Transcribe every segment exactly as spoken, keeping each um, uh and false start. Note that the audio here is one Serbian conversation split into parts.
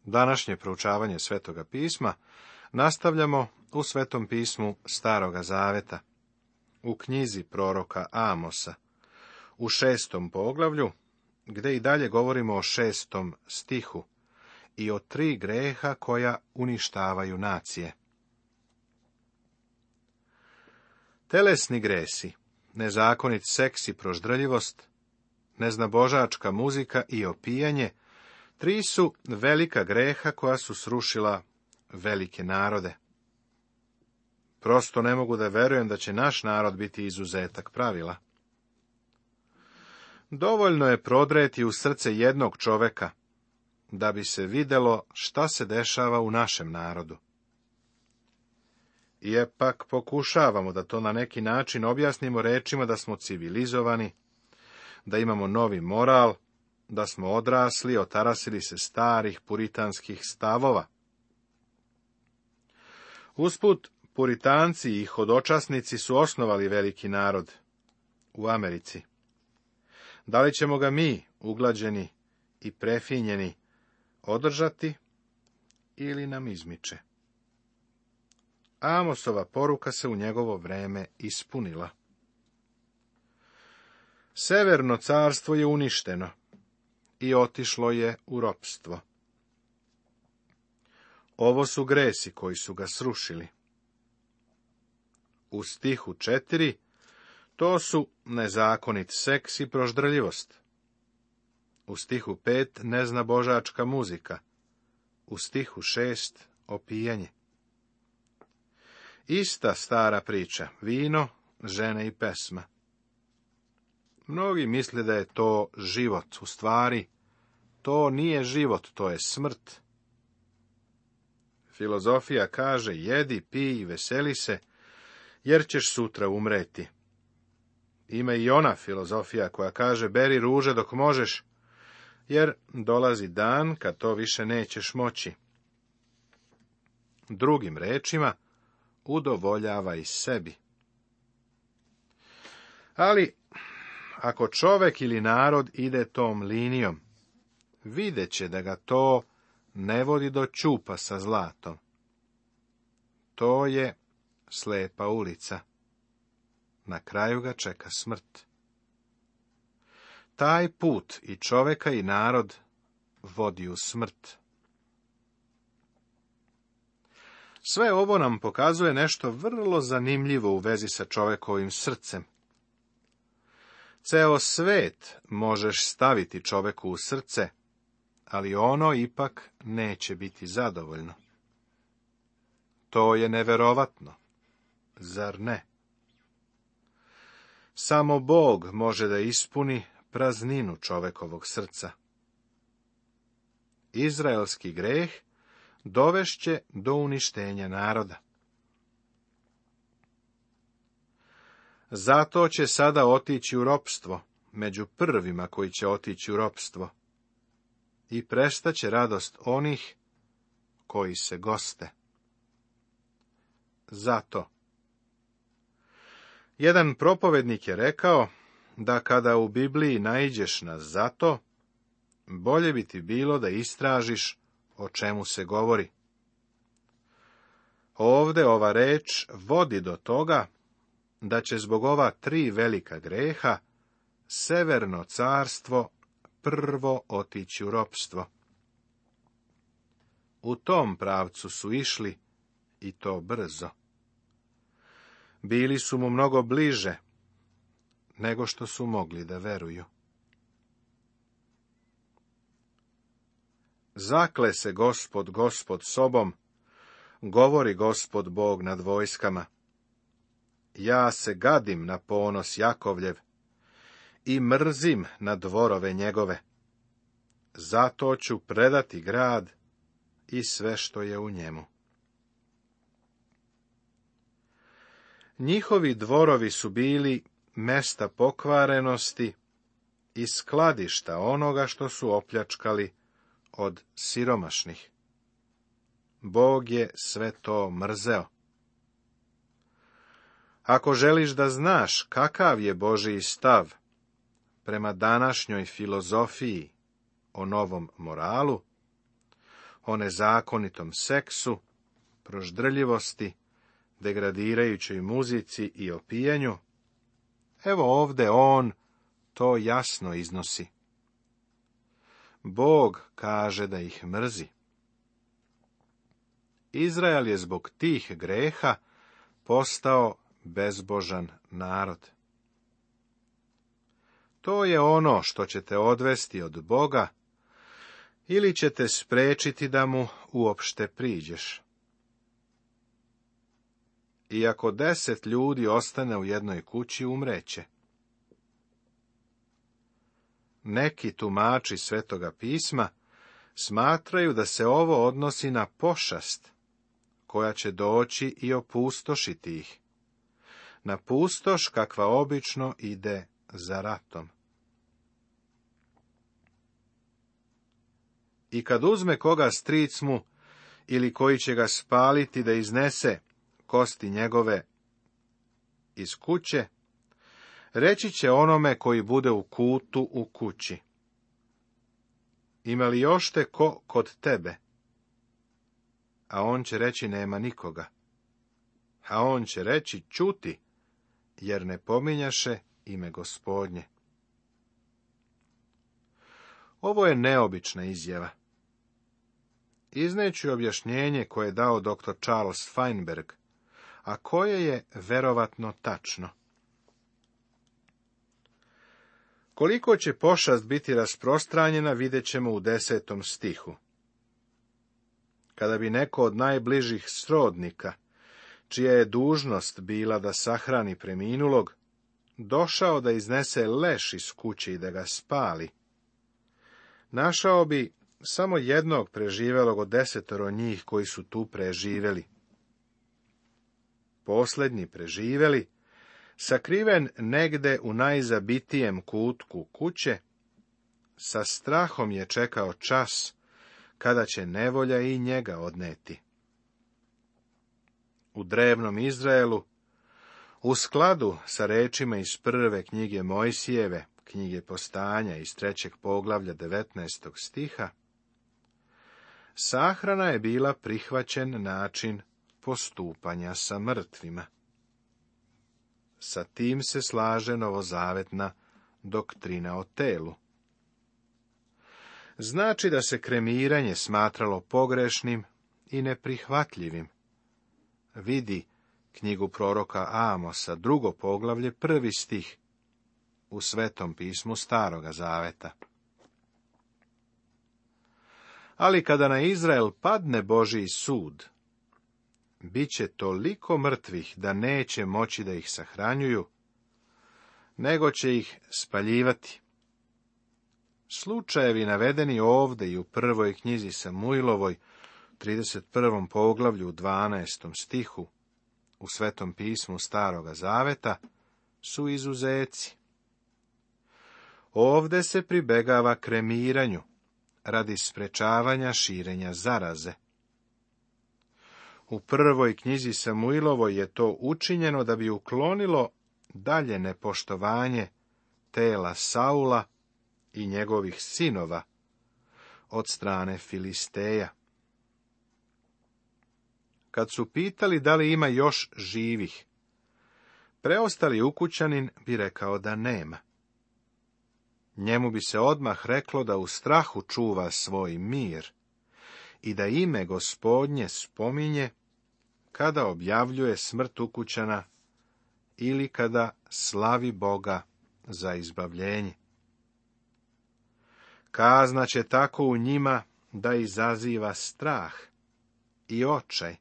Današnje proučavanje Svetoga pisma nastavljamo u Svetom pismu Staroga Zaveta, u knjizi proroka Amosa, u šestom poglavlju, gdje i dalje govorimo o šestom stihu i o tri greha koja uništavaju nacije. Telesni gresi, nezakonit seks i proždrljivost, neznabožačka muzika i opijanje, tri su velika greha koja su srušila velike narode. Prosto ne mogu da verujem da će naš narod biti izuzetak pravila. Dovoljno je prodreti u srce jednog čoveka, da bi se vidjelo šta se dešava u našem narodu. Ipak pokušavamo da to na neki način objasnimo rečima da smo civilizovani, da imamo novi moral, da smo odrasli, otarasili se starih puritanskih stavova. Usput, puritanci i hodočasnici su osnovali veliki narod u Americi. Da li ćemo ga mi, uglađeni i prefinjeni, održati ili nam izmiče? Amosova poruka se u njegovo vreme ispunila. Severno carstvo je uništeno i otišlo je u ropstvo. Ovo su gresi koji su ga srušili. U stihu četiri to su nezakonit seks i proždrljivost. U stihu pet neznabožačka muzika. U stihu šest opijanje. Ista stara priča, vino, žene i pesma. Mnogi misle da je to život, u stvari, to nije život, to je smrt. Filozofija kaže, jedi, pij i veseli se, jer ćeš sutra umreti. Ima i ona filozofija koja kaže, beri ruže dok možeš, jer dolazi dan kad to više nećeš moći. Drugim rečima, udovoljavaj sebi. Ali, ako čovek ili narod ide tom linijom, vidjet će da ga to ne vodi do ćupa sa zlatom. To je slepa ulica. Na kraju ga čeka smrt. Taj put i čoveka i narod vodi u smrt. Sve ovo nam pokazuje nešto vrlo zanimljivo u vezi sa čovekovim srcem. Ceo svet možeš staviti čoveku u srce, ali ono ipak neće biti zadovoljno. To je neverovatno, zar ne? Samo Bog može da ispuni prazninu čovekovog srca. Izraelski greh dovešće do uništenja naroda. Zato će sada otići u ropstvo, među prvima koji će otići u ropstvo, i prestaće radost onih koji se goste. Zato. Jedan propovednik je rekao da kada u Bibliji naiđeš na zato, bolje bi ti bilo da istražiš o čemu se govori. Ovde ova reč vodi do toga da će zbog ova tri velika greha severno carstvo prvo otići u ropstvo. U tom pravcu su išli i to brzo. Bili su mu mnogo bliže nego što su mogli da veruju. Zakle se Gospod, Gospod sobom, govori Gospod Bog nad vojskama. Ja se gadim na ponos Jakovljev i mrzim na dvorove njegove. Zato ću predati grad i sve što je u njemu. Njihovi dvorovi su bili mesta pokvarenosti i skladišta onoga što su opljačkali od siromašnih. Bog je sve to mrzeo. Ako želiš da znaš kakav je Božji stav prema današnjoj filozofiji o novom moralu, o nezakonitom seksu, proždrljivosti, degradirajućoj muzici i opijanju, evo ovde on to jasno iznosi. Bog kaže da ih mrzi. Izrael je zbog tih greha postao bezbožan narod. To je ono što ćete odvesti od Boga ili ćete spriječiti da mu uopšte priđeš. I ako deset ljudi ostane u jednoj kući, umreće. Neki tumači Svetoga pisma smatraju da se ovo odnosi na pošast, koja će doći i opustošiti ih, na pustoš kakva obično ide za ratom. I kad uzme koga stric mu, ili koji će ga spaliti da iznese kosti njegove iz kuće, reći će onome koji bude u kutu u kući: ima li još te ko kod tebe? A on će reći: nema nikoga. A on će reći: ćuti, jer ne pominjaše ime Gospodnje. Ovo je neobična izjava. Izneću objašnjenje koje je dao doktor Charles Feinberg, a koje je verovatno tačno. Koliko će pošast biti rasprostranjena, vidjet ćemo u desetom stihu. Kada bi neko od najbližih srodnika, čija je dužnost bila da sahrani preminulog, došao da iznese leš iz kuće i da ga spali, našao bi samo jednog preživelog od desetoro njih koji su tu preživeli. Posljednji preživeli, sakriven negde u najzabitijem kutku kuće, sa strahom je čekao čas kada će nevolja i njega odneti. U drevnom Izraelu, u skladu sa rečima iz prve knjige Mojsijeve, knjige Postanja iz trećeg poglavlja devetnaestog stiha, sahrana je bila prihvaćen način postupanja sa mrtvima. Sa tim se slaže novozavetna doktrina o telu. Znači da se kremiranje smatralo pogrešnim i neprihvatljivim. Vidi knjigu proroka Amosa, drugo poglavlje, prvi stih, u Svetom pismu Staroga zaveta. Ali kada na Izrael padne Božji sud, bit će toliko mrtvih da neće moći da ih sahranjuju, nego će ih spaljivati. Slučajevi navedeni ovde i u prvoj knjizi Samuilovoj, trideset prvom poglavlju, dvanaestom stihu, u Svetom pismu Staroga zaveta, su izuzeci. Ovde se pribegava kremiranju, radi sprečavanja širenja zaraze. U prvoj knjizi Samuilovoj je to učinjeno da bi uklonilo dalje nepoštovanje tela Saula i njegovih sinova od strane Filisteja. Kad su pitali da li ima još živih, preostali ukućanin bi rekao da nema. Njemu bi se odmah reklo da u strahu čuva svoj mir i da ime Gospodnje spominje kada objavljuje smrt ukućana ili kada slavi Boga za izbavljenje. Kazna će tako u njima da izaziva strah i očaj,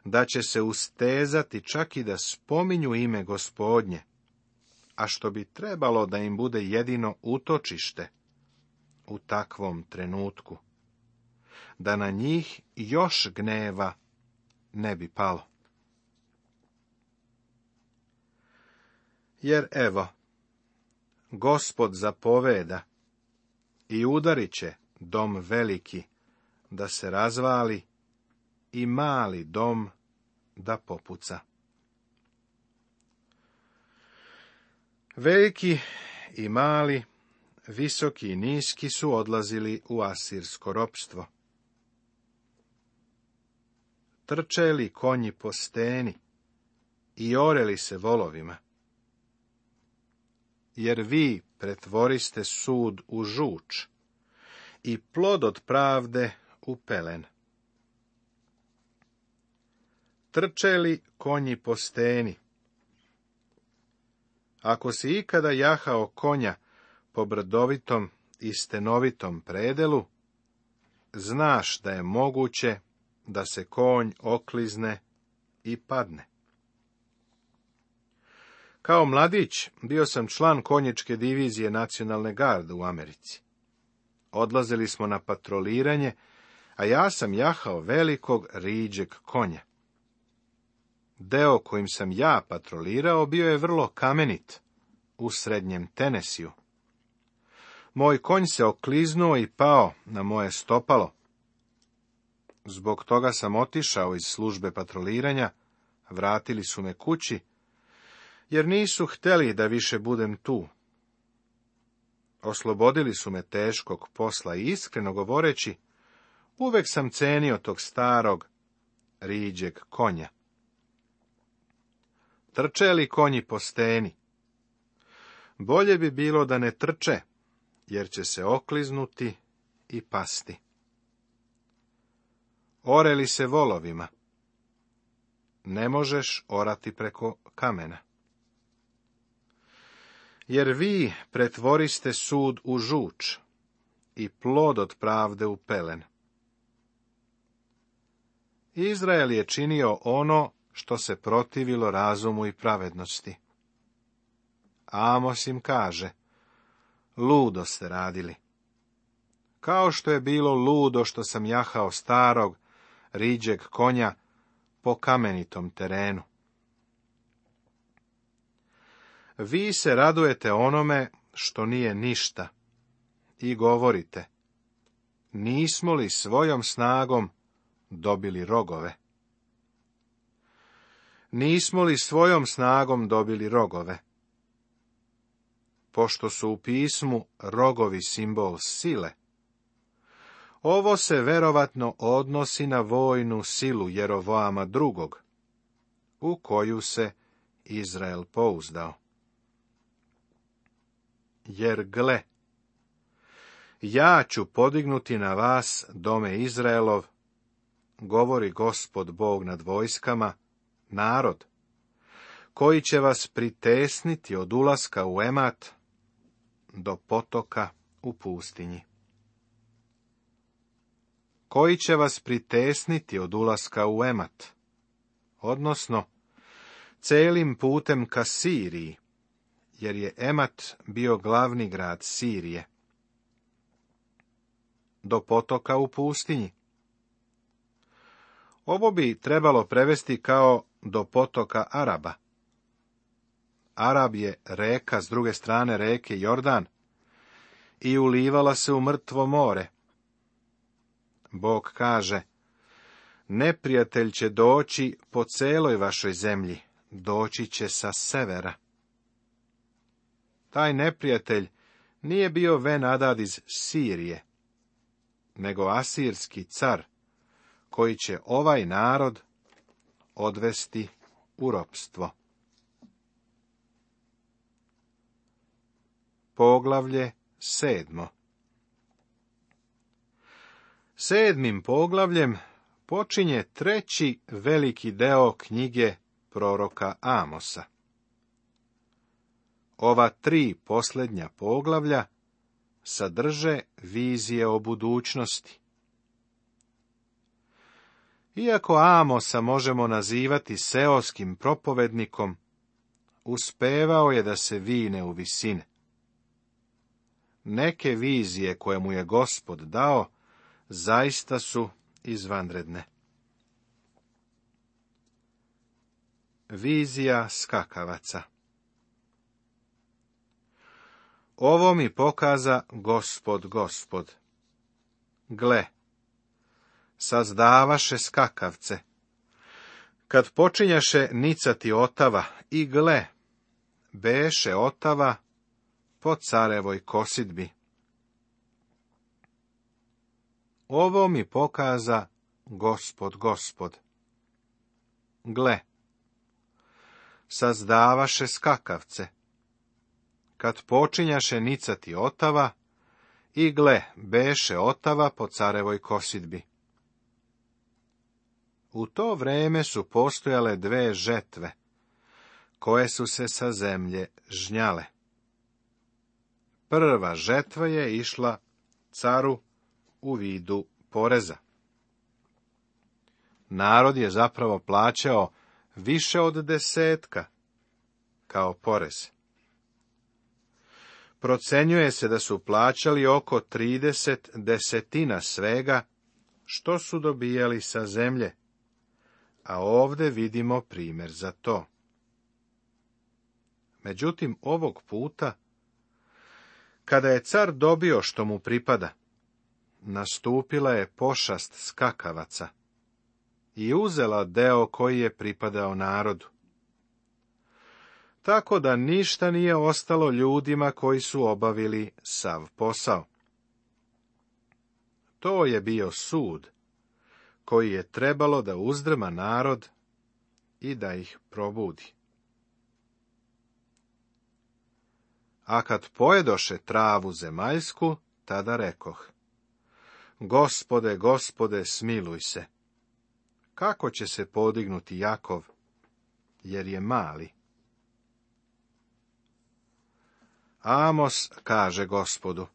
da će se ustezati čak i da spominju ime Gospodnje, a što bi trebalo da im bude jedino utočište u takvom trenutku, da na njih još gneva ne bi palo. Jer evo, Gospod zapoveda i udarit će dom veliki da se razvali i mali dom da popuca. Veliki i mali, visoki i niski su odlazili u asirsko ropstvo. trče li konji po steni i ore li se volovima? Jer vi pretvoriste sud u žuč i plod od pravde u pelen. Trče li konji po steni? Ako si ikada jahao konja po brdovitom i stenovitom predelu, znaš da je moguće da se konj oklizne i padne. Kao mladić bio sam član konjičke divizije nacionalne garde u Americi. Odlazili smo na patroliranje, a ja sam jahao velikog riđeg konja. Deo kojim sam ja patrolirao bio je vrlo kamenit, u srednjem Tenesiju. Moj konj se okliznuo i pao na moje stopalo. Zbog toga sam otišao iz službe patroliranja, vratili su me kući, jer nisu htjeli da više budem tu. Oslobodili su me teškog posla i iskreno govoreći, uvek sam cenio tog starog, riđeg konja. Trče li konji po steni? Bolje bi bilo da ne trče, jer će se okliznuti i pasti. Ore li se volovima? Ne možeš orati preko kamena. Jer vi pretvoriste sud u žuč i plod od pravde u pelen. Izrael je činio ono što se protivilo razumu i pravednosti. Amos im kaže, ludo ste radili. Kao što je bilo ludo što sam jahao starog, riđeg konja po kamenitom terenu. Vi se radujete onome što nije ništa i govorite, nismo li svojom snagom dobili rogove? Nismo li svojom snagom dobili rogove? Pošto su u pismu rogovi simbol sile, ovo se verovatno odnosi na vojnu silu Jerovoama drugog, u koju se Izrael pouzdao. Jer gle, ja ću podignuti na vas, dome Izraelov, govori Gospod Bog nad vojskama, narod, koji će vas pritesniti od ulaska u Emat do potoka u pustinji. Koji će vas pritesniti od ulaska u Emat, odnosno celim putem ka Siriji, jer je Emat bio glavni grad Sirije, do potoka u pustinji. Ovo bi trebalo prevesti kao do potoka Araba. Arab je reka s druge strane reke Jordan i ulivala se u mrtvo more. Bog kaže, neprijatelj će doći po celoj vašoj zemlji, doći će sa severa. Taj neprijatelj nije bio Ben-Hadad iz Sirije, nego asirski car, koji će ovaj narod odvesti u ropstvo. Poglavlje sedmo. Sedmim poglavljem počinje treći veliki deo knjige proroka Amosa. Ova tri posljednja poglavlja sadrže vizije o budućnosti. Iako Amosa možemo nazivati seoskim propovednikom, uspevao je da se vine u visine. Neke vizije koje mu je Gospod dao, zaista su izvanredne. Vizija skakavaca. Ovo mi pokaza Gospod, Gospod. Gle, sazdavaše skakavce, kad počinjaše nicati otava, i gle, beše otava po carevoj kosidbi. Ovo mi pokaza Gospod, Gospod. gle, sazdavaše skakavce, kad počinjaše nicati otava, i gle, beše otava po carevoj kosidbi. U to vreme su postojale dve žetve, koje su se sa zemlje žnjale. Prva žetva je išla caru u vidu poreza. Narod je zapravo plaćao više od desetka kao porez. Procenjuje se da su plaćali oko trideset desetina svega što su dobijali sa zemlje, a ovdje vidimo primjer za to. Međutim, ovog puta, kada je car dobio što mu pripada, nastupila je pošast skakavaca i uzela deo koji je pripadao narodu. Tako da ništa nije ostalo ljudima koji su obavili sav posao. To je bio sud koji je trebalo da uzdrma narod i da ih probudi. A kad pojedoše travu zemaljsku, tada rekoh: Gospode, Gospode, smiluj se. Kako će se podignuti Jakov, jer je mali? Amos kaže Gospodu: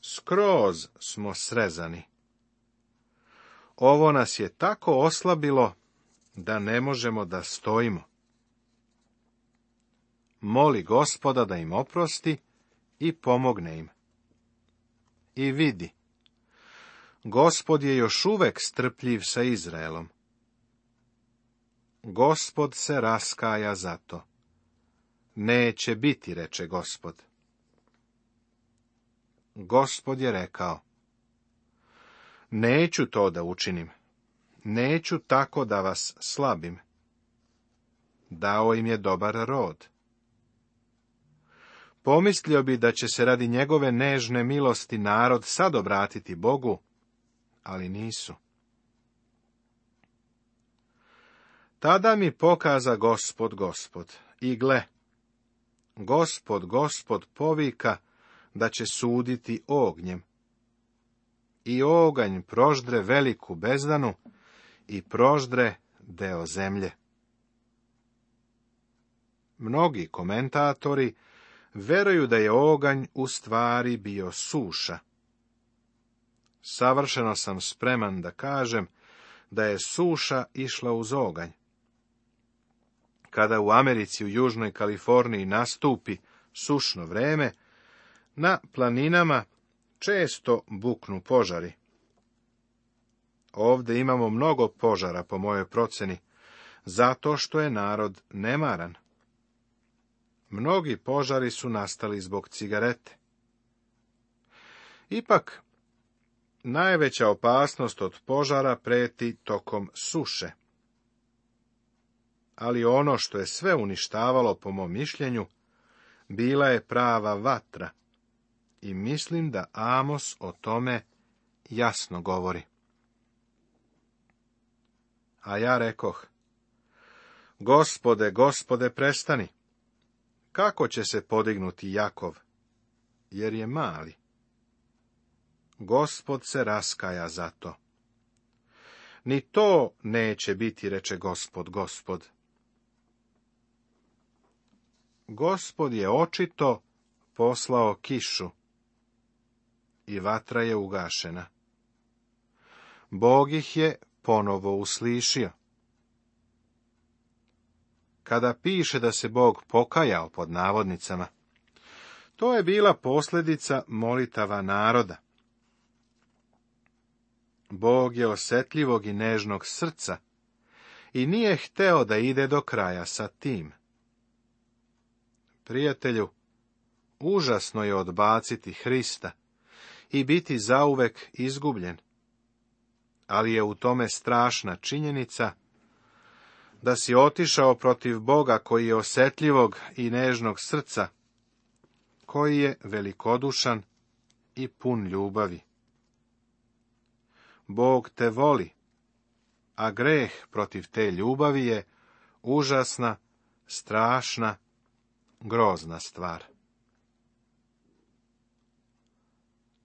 skroz smo srezani. Ovo nas je tako oslabilo da ne možemo da stojimo. Moli Gospoda da im oprosti i pomogne im. I vidi, Gospod je još uvek strpljiv sa Izraelom. Gospod se raskaja za to. Neće biti, reče Gospod. Gospod je rekao: neću to da učinim, neću tako da vas slabim. Dao im je dobar rod. Pomislio bi da će se radi njegove nežne milosti narod sad obratiti Bogu, ali nisu. Tada mi pokaza Gospod, Gospod, i gle, Gospod, Gospod povika da će suditi ognjem. I oganj proždre veliku bezdanu i proždre deo zemlje. Mnogi komentatori veruju da je oganj u stvari bio suša. Savršeno sam spreman da kažem da je suša išla uz oganj. Kada u Americi, u Južnoj Kaliforniji nastupi sušno vreme, na planinama često buknu požari. Ovdje imamo mnogo požara, po mojoj proceni, zato što je narod nemaran. Mnogi požari su nastali zbog cigarete. Ipak, najveća opasnost od požara preti tokom suše. Ali ono što je sve uništavalo, po mom mišljenju, bila je prava vatra. I mislim da Amos o tome jasno govori. A ja rekoh: Gospode, Gospode, prestani. Kako će se podignuti Jakov, jer je mali? Gospod se raskaja za to. Ni to neće biti, reče Gospod, Gospod. Gospod je očito poslao kišu i vatra je ugašena. Bog ih je ponovo uslišio. Kada piše da se Bog pokajao, pod navodnicama, to je bila posljedica molitava naroda. Bog je osjetljivog i nežnog srca i nije hteo da ide do kraja sa tim. Prijatelju, užasno je odbaciti Hrista i biti zauvek izgubljen, ali je u tome strašna činjenica da si otišao protiv Boga koji je osjetljivog i nežnog srca, koji je velikodušan i pun ljubavi. Bog te voli a greh protiv te ljubavi je užasna, strašna, grozna stvar.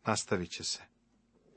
Nastavit će se.